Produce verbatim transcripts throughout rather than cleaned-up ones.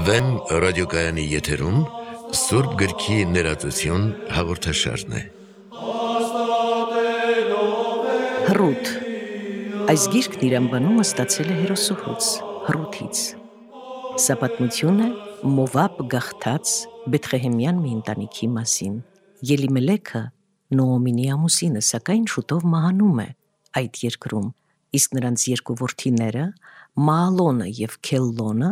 Վեմ ռադիոկայանի եթերում Սուրբ գրքի ներածություն հաղորդաշարն է։ Հռութ։ Այս գիրքն իր անվանումը ստացել է հերոսուհուց, Հռութից։ Սա պատմություն է Մովաբ գաղթած Բեթղեհեմյան մի ընտանիքի մասին։ Ելիմելեքը Նոոմինի ամուսինը, սակայն շուտով մահանում է այդ երկրում, իսկ նրանց երկու որդիները Մահալոնը և Քելլոնը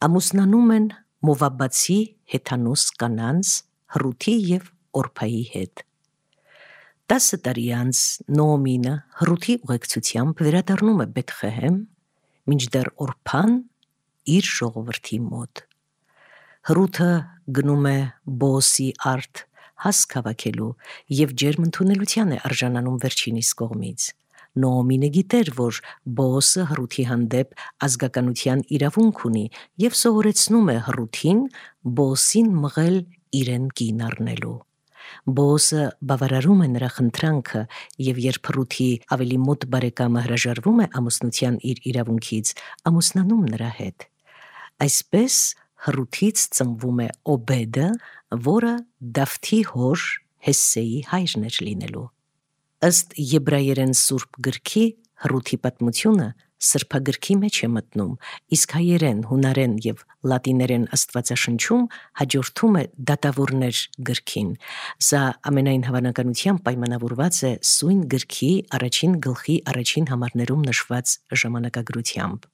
ամուսնանում են Մովաբացի հեթանոս կանանց Հռութի և Օրփայի հետ։ Տասը տարի անց Նոոմինը Հռութի ուղեկցությամբ վերադառնում է Բեթղեհեմ, մինչդեռ Օրփան իր ժողովրդի մոտ։ Հռութը գնում է Բոոսի արդ հասք հավաքելու և ջերմ ընդունելության է արժանանում վերջինիս կողմից։ Նոոմինը գիտեր, որ Բոոսը Հռութի հանդեպ ազգականության իրավունք ունի և սովորեցնում է Հռութին Բոոսին մղել իրեն կին առնելու։ Բոոսը բավարարում է նրա խնդրանքը, և երբ Հռութի ավելի մոտ բարեկամը հրաժարվում է ամուսնության իր իրավունքից, ամուսնանում նրա հետ։ Այսպես Հռութից ծնվում է Օբեդը, որը Դավթի հոր Հեսսեի հայրն էր լինելու։ Ըստ եբրայերեն Սուրբ գրքի Հռութի պատմությունը սրբագրքի մեջ է մտնում, իսկ հայերեն, հունարեն և լատիներեն աստվածաշնչում հաջորդում է Դատավորներ գրքին։ Սա ամենայն հավանականությամբ պայմանավորված է Սույն գրքի առաջին գլխի առաջին համարներում նշված ժամանակագրությամբ։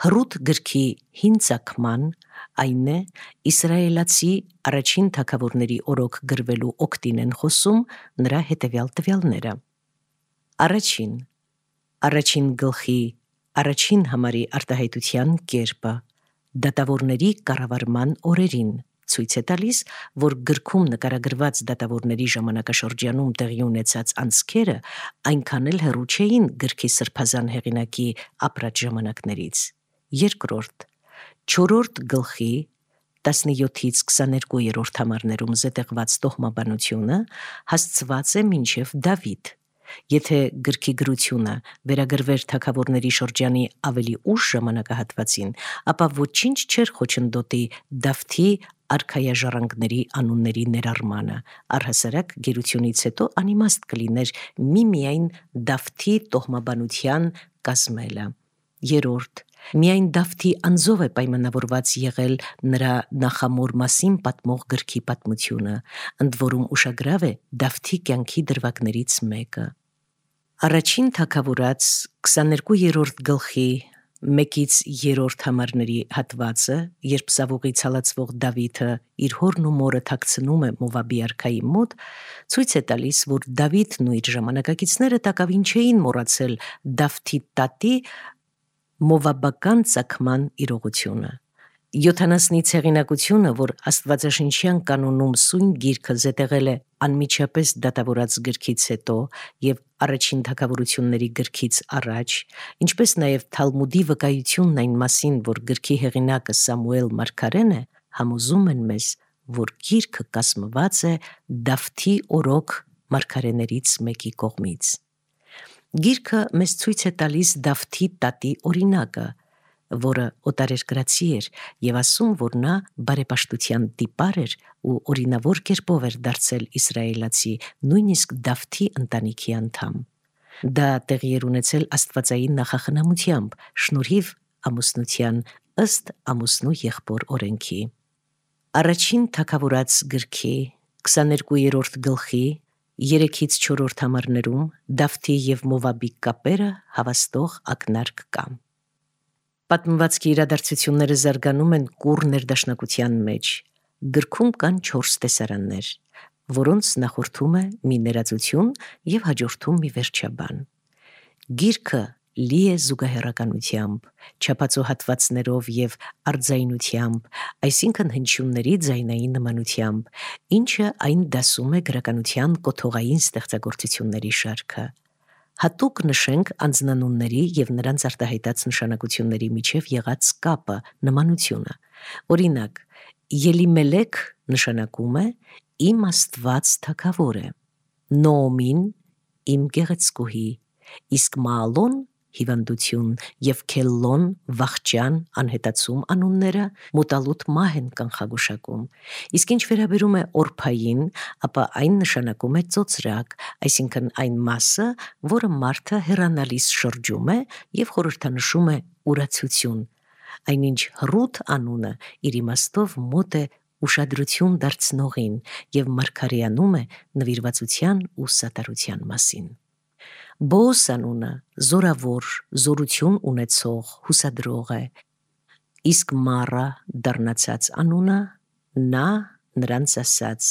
Հռութ գրքի հին ծագման, այն է, իսրայելացի առաջին թագավորների օրոք գրվելու օգտին են խոսում նրա հետևյալ տվյալները. Առաջին. Առաջին գլխի առաջին համարի արտահայտության կերպը դատավորների կառավարման օրերին ցույց է տալիս, որ գրքում նկարագրված դատավորների ժամանակաշրջանում տեղի ունեցած անցքերը այնքան էլ հեռու չէին գրքի սրբազան հեղինակի ապրած ժամանակներից։ Երկրորդ. չորրորդ գլխի տասնյոթից քսաներկուերորդ համարներում զետեղված տոհմաբանությունը հասցված է մինչև Դավիթ։ Եթե գրքի գրությունը վերագրվեր թագավորների շրջանի ավելի ուշ ժամանակահատվածին, ապա ոչինչ չէր խոչընդոտի Դավթի արքայաժառանգների անունների ներառմանը, առհասարակ գերությունից հետո անիմաստ կլիներ միմիայն Դավթի տոհմաբանության կազմելը։ Երրորդ. միայն Դավթի անձով է պայմանավորված եղել նրա նախամոր մասին պատմող գրքի պատմությունը, ընդ որում ուշագրավ է Դավթի կյանքի դրվագներից մեկը։ Առաջին թագավորաց քսաներկուերորդ գլխի մեկից երրորդ համարների հատվածը, երբ Սավուղից հալածվող Դավիթը իր հորն ու մորը թաքցնում է Մովաբի արքայի մոտ, ցույց է տալիս, որ Դավիթն ու իր ժամանակակիցները տակավին չէին մոռացել Դավթի տատի մովաբական ծագման իրողությունը։ Յոթանասնից հեղինակությունը, որ աստվածաշնչյան կանոնում Սույն գիրքը զետեղել է անմիջապես դատավորաց գրքից հետո և առաջին թագավորությունների գրքից առաջ, ինչպես նաև Թալմուդի վկայությունն այն մասին, որ գրքի հեղինակը Սամուել մարգարեն է, համոզում են մեզ, որ գիրքը կազմված է Դավթի օրոք մարգարեներից մեկի կողմից։ Գիրքը մեզ ցույց է տալիս Դավթի տատի օրինակը, որը օտարերկրացի էր և ասում, որ նա բարեպաշտության տիպար էր ու օրինավոր կերպով էր դարձել իսրայելացի, նույնիսկ Դավթի ընտանիքի անդամ։ Դա տեղի էր ունեցել աստվածային նախախնամությամբ, շնորհիվ ամուսնության ըստ ամուսնու եղբոր օրենքի։ Առաջին թագավորաց գրքի քսաներկուերորդ գլխի երեքից չորրորդ համարներում Դավթի և Մովաբի կապերը հավաստող ակնարկ կա։ Պատմվածքի իրադարձությունները զարգանում են կուռ ներդաշնակության մեջ։ Գրքում կան չորս տեսարաններ, որոնց նախորդում է մի ներածություն և հաջորդում մի վերջաբան։ Գիրքը լի է զուգահեռականությամբ, չափածո հատվածներով և արձայնությամբ, այսինքն հնչյունների ձայնային նմանությամբ, ինչը այն դասում է գրականության կոթողային ստեղծագործությունների շարքը։ Հատուկ նշենք անձնանունների և նրանց արտահայտած նշանակությունների միջև եղած կապը, նմանությունը։ Օրինակ, Ելիմելեք նշանակում է «Իմ Աստված թագավոր է», Նոոմին՝ «Իմ գեղեցկուհի», իսկ Մալոն հիվանդություն եւ Քելլոն վախճան անհետացում անունները մոտալուտ մահ են կանխագուշակում, իսկ ինչ վերաբերում է Օրփային, ապա այն նշանակում է ծոծրակ, այսինքն այն մասը, որը մարդը հեռանալիս շրջում է եւ խորհրդանշում է ուրացություն, այնինչ Ռութ անունը իր իմաստով մոտ է ուշադրություն դարձնողին եւ մարգարեանում է նվիրվածության ու սատարության մասին։ Բոոս անունը զորավոր, զորություն ունեցող, հուսադրող է, իսկ Մարա դառնացած անունը նա նրանց ասաց.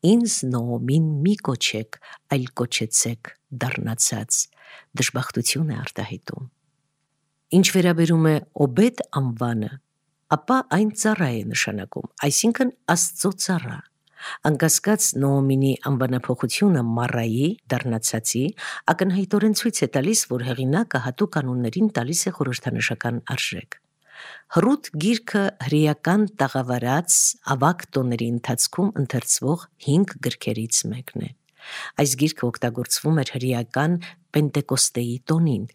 «Ինձ Նոոմին մի կոչեք, այլ կոչեցեք դառնացած», դժբախտություն է արտահայտում։ Ինչ վերաբերում է Օբեդ անվանը, ապա այն ծառա է նշանակում, այսինքն Աստծո ծառա։ Անկասկած Նոոմինի անվանափոխությունը Մարայի դառնացածի ակնհայտորեն ցույց է տալիս, որ հեղինակը հատուկ անուններին տալիս է խորհրդանշական արժեք։ Ռութ գիրքը հրեական տաղավարած ավագ տոների ընթացքում ընթերցվող հինգ գրքերից մեկն է։ Այս գիրքը օգտագործվում էր հրեական Պենտեկոստեի տոնին։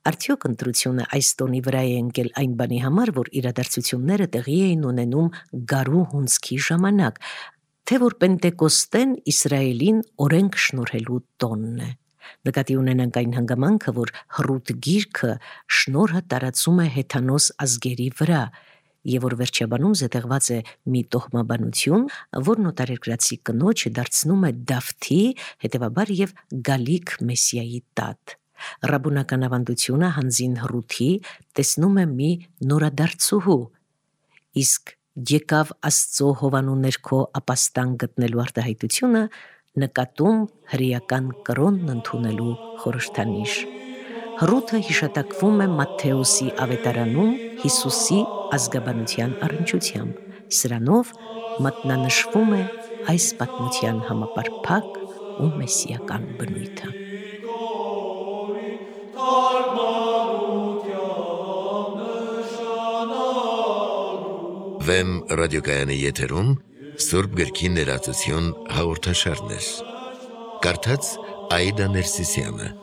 Արդյոք ընտրությունը այս տոնի վրա է ընկել այն բանի համար, որ իրադարձությունները տեղի էին ունենում գարու հունձքի ժամանակ, թե որ Պենտեկոստեն Իսրայելին օրենք շնորհելու տոնն է։ Նկատի ունենանք այն հանգամանքը, որ Ռութ գիրքը շնորհը տարածում է հեթանոս ազգերի վրա, եւ որ վերջաբանում զետեղված է մի տոհմաբանություն, որն օտարերկրացի կնոջը դարձնում է Դավթի, հետևաբար եւ գալիք Մեսիայի տատ։ Ռաբունական ավանդությունը հանձին Ռութի տեսնում է մի նորադարձուհու, իսկ եկավ Աստծո հովանու ներքո ապաստան գտնելու արտահայտությունը նկատում հրեական կրոնն ընդունելու խորհրդանիշ։ Ռութը հիշատակվում է Մատթեոսի ավետարանում Հիսուսի ազգաբանության առնչությամբ, սրանով մատնանշվում է այս պատմության համապարփակ ու մեսիական բնույթը։ Վեմ ռադիոկայանի եթերում Սուրբ գրքի ներածություն հաղորդաշարներ։ Կարդաց Աիդա Ներսիսյանը։